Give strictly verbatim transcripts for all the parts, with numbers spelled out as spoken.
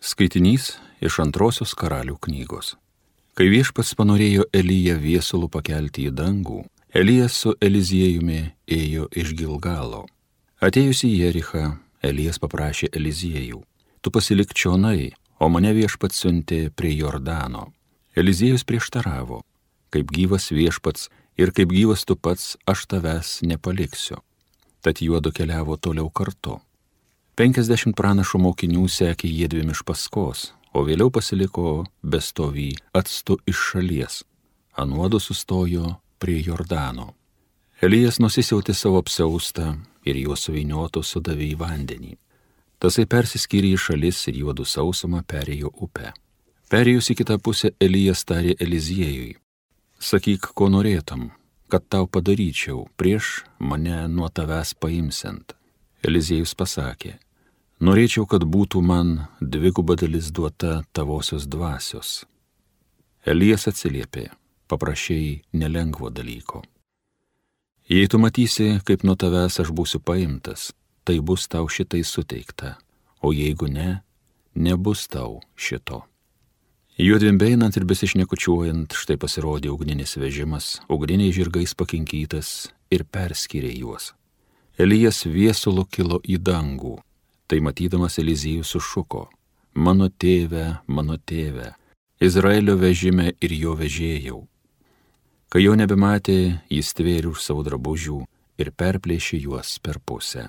Skaitinys iš antrosios Karalių knygos. Kai Viešpats panorėjo Eliją viesulų pakelti į dangų, Elijas su Eliziejumi ėjo iš Gilgalo. Atėjus į Jerichą, Elijas paprašė Eliziejų: tu pasilik čionai, o mane Viešpats siuntė prie Jordano. Eliziejus prieštaravo: kaip gyvas Viešpats ir kaip gyvas tu pats, aš tavęs nepaliksiu. Tad juodu keliavo toliau kartu. Penkiasdešimt pranašų mokinių sekė jiedviem iš paskos, o vėliau pasiliko bestovį atstu iš šalies. Anuodu sustojo prie Jordano. Elijas nusisiautė savo apsiaustą ir juos suvynioto sudavė į vandenį. Tasai persiskyrė į šalis ir juodu sausumą perėjo upę. Perėjus į kitą pusę, Elijas tarė Eliziejui: sakyk, ko norėtum, kad tau padaryčiau prieš mane nuo tavęs paimsiant. Eliziejus pasakė: norėčiau, kad būtų man dviguba dalis duota tavosios dvasios. Elijas atsiliepė: paprašei nelengvo dalyko. Jei tu matysi, kaip nuo tavęs aš būsiu paimtas, tai bus tau šitai suteikta, o jeigu ne, nebus tau šito. Juodviem beinant ir besišnekučiuojant, štai pasirodė ugninis vežimas, ugniniai žirgais pakinkytas, ir perskyrė juos. Elijas viesulu kilo į dangų. Tai matydamas Eliziejus sušuko: mano tėve, mano tėve, Izraelio vežime ir jo vežėjau. Kai jo nebematė, jis tvėrė už savo drabužių ir perplėšė juos per pusę.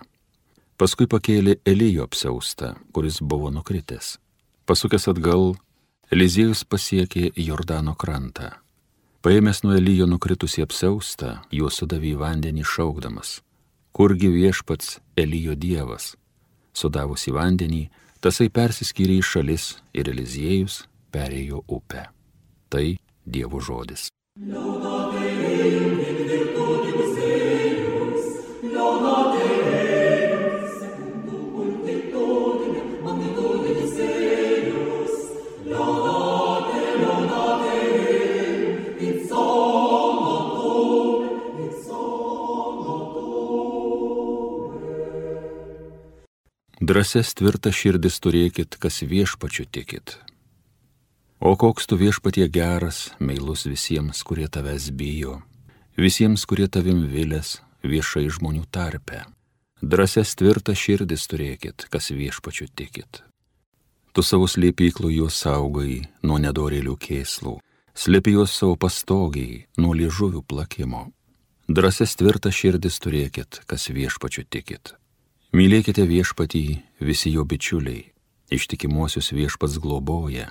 Paskui pakėlė Elijo apsiaustą, kuris buvo nukritęs. Pasukęs atgal, Eliziejus pasiekė Jordano krantą. Paėmęs nuo Elijo nukritusį apsiaustą, juos sudavė į vandenį šaukdamas: kurgi Viešpats Elijo dievas? Sudavus į vandenį, tasai persiskyrė į šalis ir Eliziejus perėjo upę. Tai Dievo žodis. Drąsias tvirtas širdis turėkit, kas Viešpačiu tikit. O koks tu Viešpatie geras, meilus visiems, kurie tavęs bijo, visiems, kurie tavim vilės viešai žmonių tarpe. Drąsias tvirtas širdis turėkit, kas Viešpačiu tikit. Tu savo slėpyklų juos saugai nuo nedorėlių kėslų, slėpi juos savo pastogiai nuo liežuvių plakimo. Drąsias tvirtas širdis turėkit, kas Viešpačiu tikit. Mylėkite Viešpatį visi jo bičiuliai, ištikimuosius Viešpats globoja,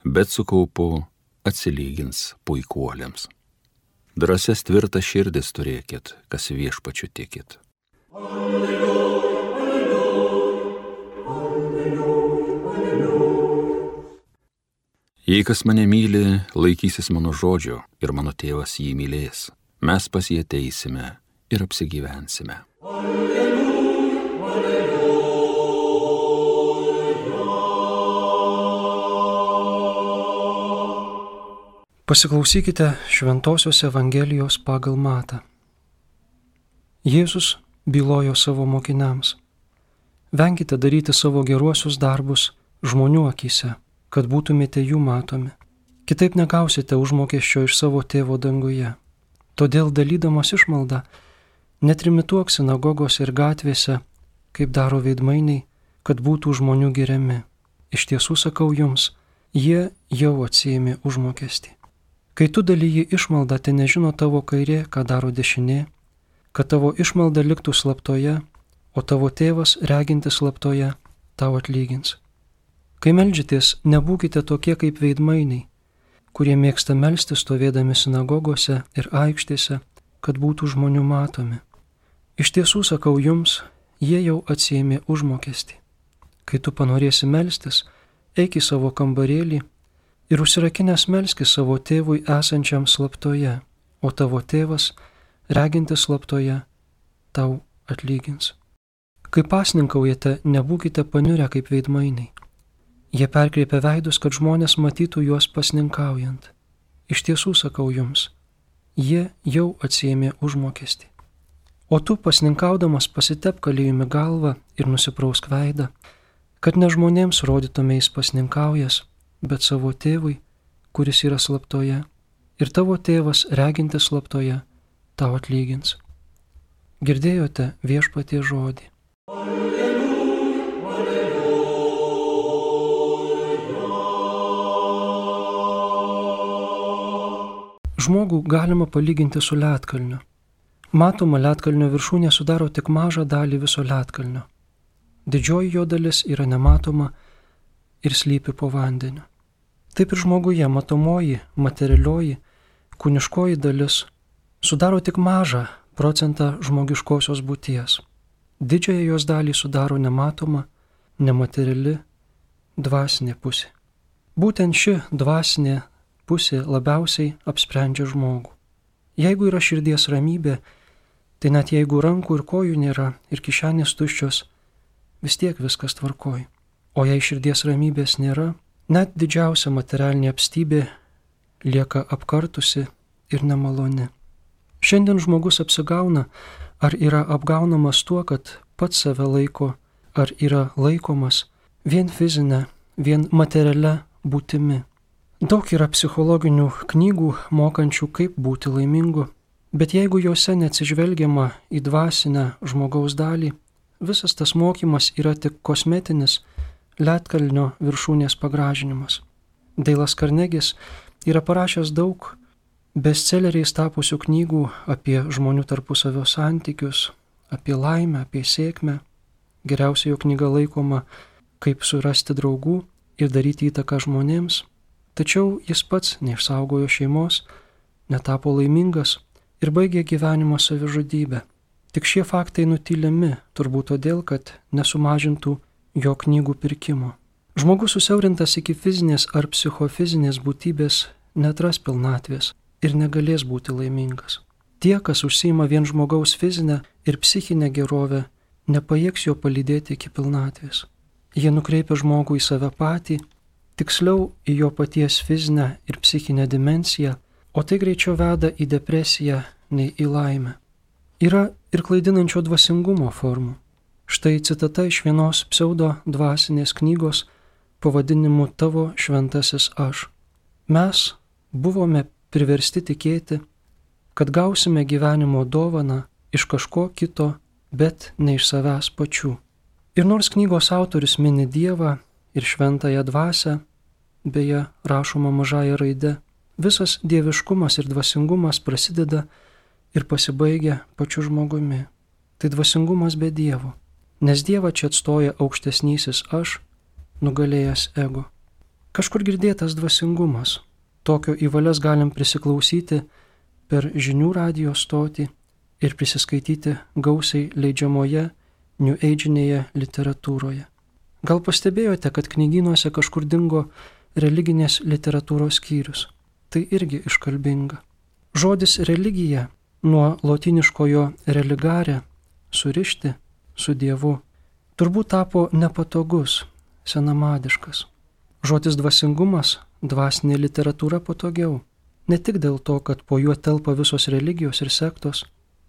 bet su kaupu atsilygins puikuoliams. Drąsias tvirtas širdis turėkit, kas Viešpačiu tikit. Alleluja, alleluja, alleluja, alleluja. Jei kas mane myli, laikysis mano žodžio ir mano tėvas jį mylės, mes pas jį ateisime ir apsigyvensime. Alleluja. Pasiklausykite Šventosios Evangelijos pagal Matą. Jėzus bylojo savo mokiniams: venkite daryti savo geruosius darbus žmonių akyse, kad būtumėte jų matomi. Kitaip negausite užmokesčio iš savo tėvo danguje. Todėl dalydamas išmaldą, netrimituok sinagogose ir gatvėse, kaip daro veidmainiai, kad būtų žmonių giriami. Iš tiesų sakau jums, jie jau atsiėmė užmokestį. Kai tu dalyji išmaldą, tai nežino tavo kairė, ką daro dešinė, kad tavo išmalda liktų slaptoje, o tavo tėvas, regintis slaptoje, tau atlygins. Kai meldžiatės, nebūkite tokie kaip veidmainiai, kurie mėgsta melstis stovėdami sinagogose ir aikštėse, kad būtų žmonių matomi. Iš tiesų sakau jums, jie jau atsiėmė užmokestį. Kai tu panorėsi melstis, eik į savo kambarėlį ir užsirakinęs melskis savo tėvui esančiam slaptoje, o tavo tėvas, regintis slaptoje, tau atlygins. Kai pasninkaujate, nebūkite paniurę kaip veidmainiai. Jie perkreipia veidus, kad žmonės matytų juos pasninkaujant. Iš tiesų sakau jums, jie jau atsiėmė užmokestį. O tu pasninkaudamas pasitepk aliejumi galvą ir nusiprausk veidą, kad ne žmonėms rodytumės pasninkaujas, bet savo tėvui, kuris yra slaptoje, ir tavo tėvas, regintis slaptoje, tau atlygins. Girdėjote Viešpaties žodį. Žmogų galima palyginti su ledkalniu. Matoma, ledkalnio viršūnė sudaro tik mažą dalį viso ledkalnio. Didžioji jo dalis yra nematoma ir slypi po vandeniu. Taip ir žmoguje matomoji, materialioji, kūniškoji dalis sudaro tik mažą procentą žmogiškosios būties. Didžiąją jos dalį sudaro nematoma, nemateriali, dvasinė pusė. Būtent ši dvasinė pusė labiausiai apsprendžia žmogų. Jeigu yra širdies ramybė, tai net jeigu rankų ir kojų nėra ir kišenės tuščios, vis tiek viskas tvarkoj. O jei širdies ramybės nėra, net didžiausia materialinė apstybė lieka apkartusi ir nemaloni. Šiandien žmogus apsigauna, ar yra apgaunamas tuo, kad pats save laiko, ar yra laikomas vien fizinė, vien materialia būtimi. Daug yra psichologinių knygų mokančių, kaip būti laimingu, bet jeigu juose neatsižvelgiama į dvasinę žmogaus dalį, visas tas mokymas yra tik kosmetinis ledkalnio viršūnės pagražinimas. Deilas Karnegis yra parašęs daug bestseleriais tapusių knygų apie žmonių tarpusavio santykius, apie laimę, apie sėkmę. Geriausia jo knyga laikoma Kaip surasti draugų ir daryti įtaką žmonėms. Tačiau jis pats neišsaugojo šeimos, netapo laimingas ir baigė gyvenimą savižudybę. Tik šie faktai nutylimi, turbūt todėl, kad nesumažintų jo knygų pirkimo. Žmogus susiaurintas iki fizinės ar psichofizinės būtybės netras pilnatvės ir negalės būti laimingas. Tie, kas užsiima vien žmogaus fizinę ir psichinę gerovę, nepajėgs jo palydėti iki pilnatvės. Jie nukreipia žmogų į save patį, tiksliau į jo paties fizinę ir psichinę dimensiją, o tai greičiau veda į depresiją nei į laimę. Yra ir klaidinančio dvasingumo formų. Štai citata iš vienos pseudo dvasinės knygos pavadinimu Tavo šventasis aš. Mes buvome priversti tikėti, kad gausime gyvenimo dovaną iš kažko kito, bet ne iš savęs pačių. Ir nors knygos autorius mini Dievą ir šventąją dvasią, beje, rašoma mažąja raide, visas dieviškumas ir dvasingumas prasideda ir pasibaigia pačiu žmogumi. Tai dvasingumas be Dievo, nes Dievą čia atstoja aukštesnysis aš, nugalėjęs ego. Kažkur girdėtas dvasingumas. Tokio į valias galim prisiklausyti per žinių radijo stotį ir prisiskaityti gausiai leidžiamoje New Age-inėje literatūroje. Gal pastebėjote, kad knygynuose kažkur dingo religinės literatūros skyrius? Tai irgi iškalbinga. Žodis religija nuo lotyniškojo religare, surišti su Dievu, turbūt tapo nepatogus, senamadiškas. Žodis dvasingumas, dvasinė literatūra patogiau. Ne tik dėl to, kad po juo telpa visos religijos ir sektos,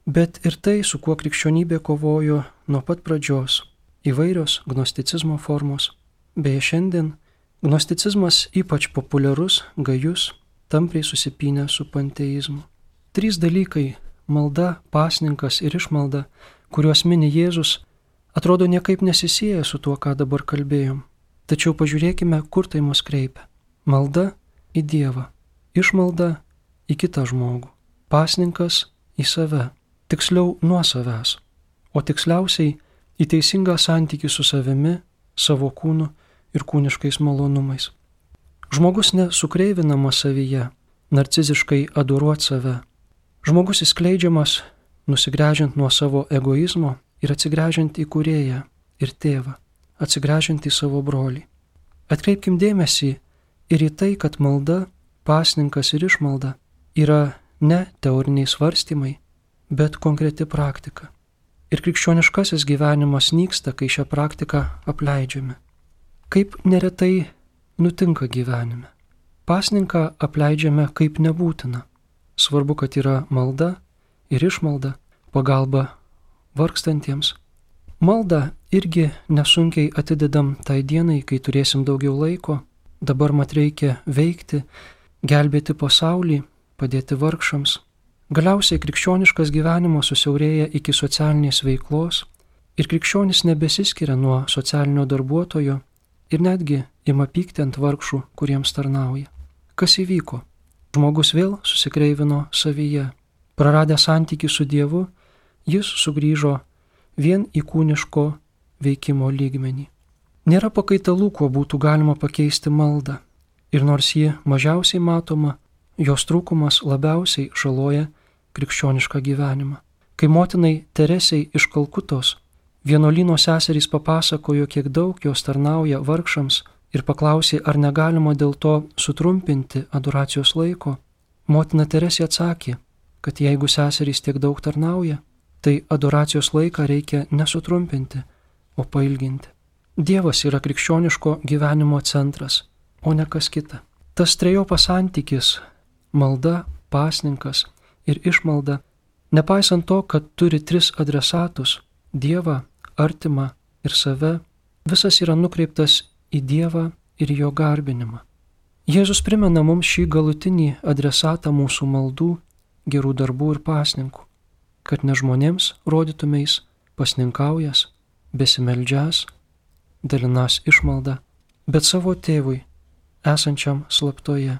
bet ir tai, su kuo krikščionybė kovojo nuo pat pradžios. Įvairios gnosticizmo formos. Beje, šiandien gnosticizmas ypač populiarus, gajus, tampriai susipynę su panteizmu. Trys dalykai – malda, pasninkas ir išmalda, kuriuos mini Jėzus, atrodo niekaip nesisieja su tuo, ką dabar kalbėjom. Tačiau pažiūrėkime, kur tai mus kreipia. Malda į Dievą, išmalda į kitą žmogų, pasninkas į save, tiksliau nuo savęs, o tiksliausiai į teisingą santykį su savimi, savo kūnu ir kūniškais malonumais. Žmogus nesukreivinamas savyje, narciziškai adoruot save. Žmogus įskleidžiamas, nusigręžiant nuo savo egoizmo ir atsigręžiant į Kūrėją ir Tėvą, atsigręžiant į savo brolį. Atkreipkim dėmesį ir į tai, kad malda, pasninkas ir išmalda yra ne teoriniai svarstymai, bet konkreti praktika. Ir krikščioniškasis gyvenimas nyksta, kai šią praktiką apleidžiame. Kaip neretai nutinka gyvenime. Pasninką apleidžiame kaip nebūtina. Svarbu, kad yra malda ir išmalda, pagalba vargstantiems. Maldą irgi nesunkiai atidedam tai dienai, kai turėsim daugiau laiko. Dabar mat reikia veikti, gelbėti pasaulį, padėti vargšams. Galiausiai krikščioniškas gyvenimas susiaurėja iki socialinės veiklos ir krikščionis nebesiskiria nuo socialinio darbuotojo ir netgi ima pykti ant vargšų, kuriems tarnauja. Kas įvyko? Žmogus vėl susikreivino savyje. Praradęs santykį su Dievu, jis sugrįžo vien į kūniško veikimo lygmenį. Nėra pakaitalų, kuo būtų galima pakeisti maldą. Ir nors ji mažiausiai matoma, jos trūkumas labiausiai žaloja krikščionišką gyvenimą. Kai motinai Teresei iš Kalkutos vienuolyno seserys papasakojo, kiek daug jos tarnauja vargšams ir paklausė, ar negalima dėl to sutrumpinti adoracijos laiko, motina Teresė atsakė, kad jeigu seserys tiek daug tarnauja, tai adoracijos laiką reikia nesutrumpinti, o pailginti. Dievas yra krikščioniško gyvenimo centras, o ne kas kita. Tas trejopas santykis - malda, pasninkas ir išmalda, nepaisant to, kad turi tris adresatus - Dievą, artimą ir save, visas yra nukreiptas į Dievą ir jo garbinimą. Jėzus primena mums šį galutinį adresatą mūsų maldų, gerų darbų ir pasninkų, kad ne žmonėms rodytumeis pasninkaujas, besimeldžias, dalinas išmaldą, bet savo tėvui, esančiam slaptoje.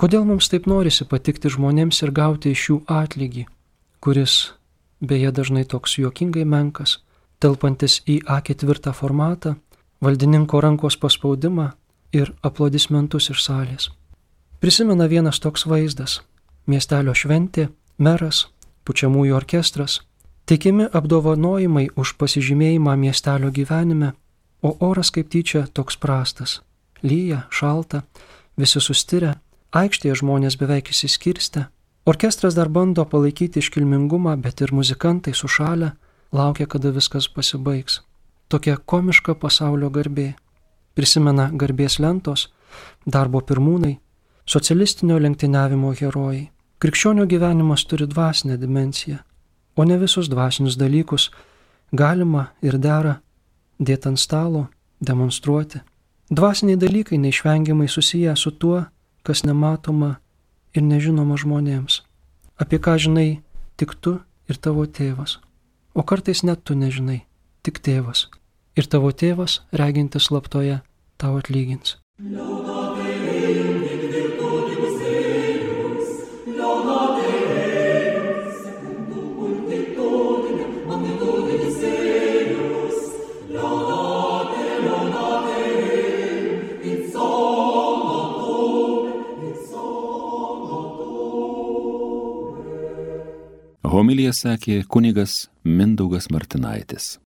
Kodėl mums taip norisi patikti žmonėms ir gauti iš jų atlygį, kuris beje dažnai toks juokingai menkas, telpantis į A ketvirtą formatą, valdininko rankos paspaudimą ir aplodismentus iš salės. Prisimena vienas toks vaizdas - miestelio šventė, meras, pučiamųjų orkestras, teikiami apdovanojimai už pasižymėjimą miestelio gyvenime, o oras kaip tyčia toks prastas. Lyja, šalta, visi sustirę, aikštėje žmonės beveik įsiskirstę. Orkestras dar bando palaikyti iškilmingumą, bet ir muzikantai sušalę, laukia, kada viskas pasibaigs. Tokia komiška pasaulio garbė. Prisimena garbės lentos, darbo pirmūnai, socialistinio lenktyniavimo herojai. Krikščionio gyvenimas turi dvasinę dimensiją, o ne visus dvasinius dalykus galima ir dera dėti ant stalo, demonstruoti. Dvasiniai dalykai neišvengiamai susiję su tuo, kas nematoma ir nežinoma žmonėms, apie ką žinai tik tu ir tavo tėvas, o kartais net tu nežinai, tik tėvas, ir tavo tėvas, regintis slaptoje, tau atlygins. Homiliją sakė kunigas Mindaugas Martinaitis.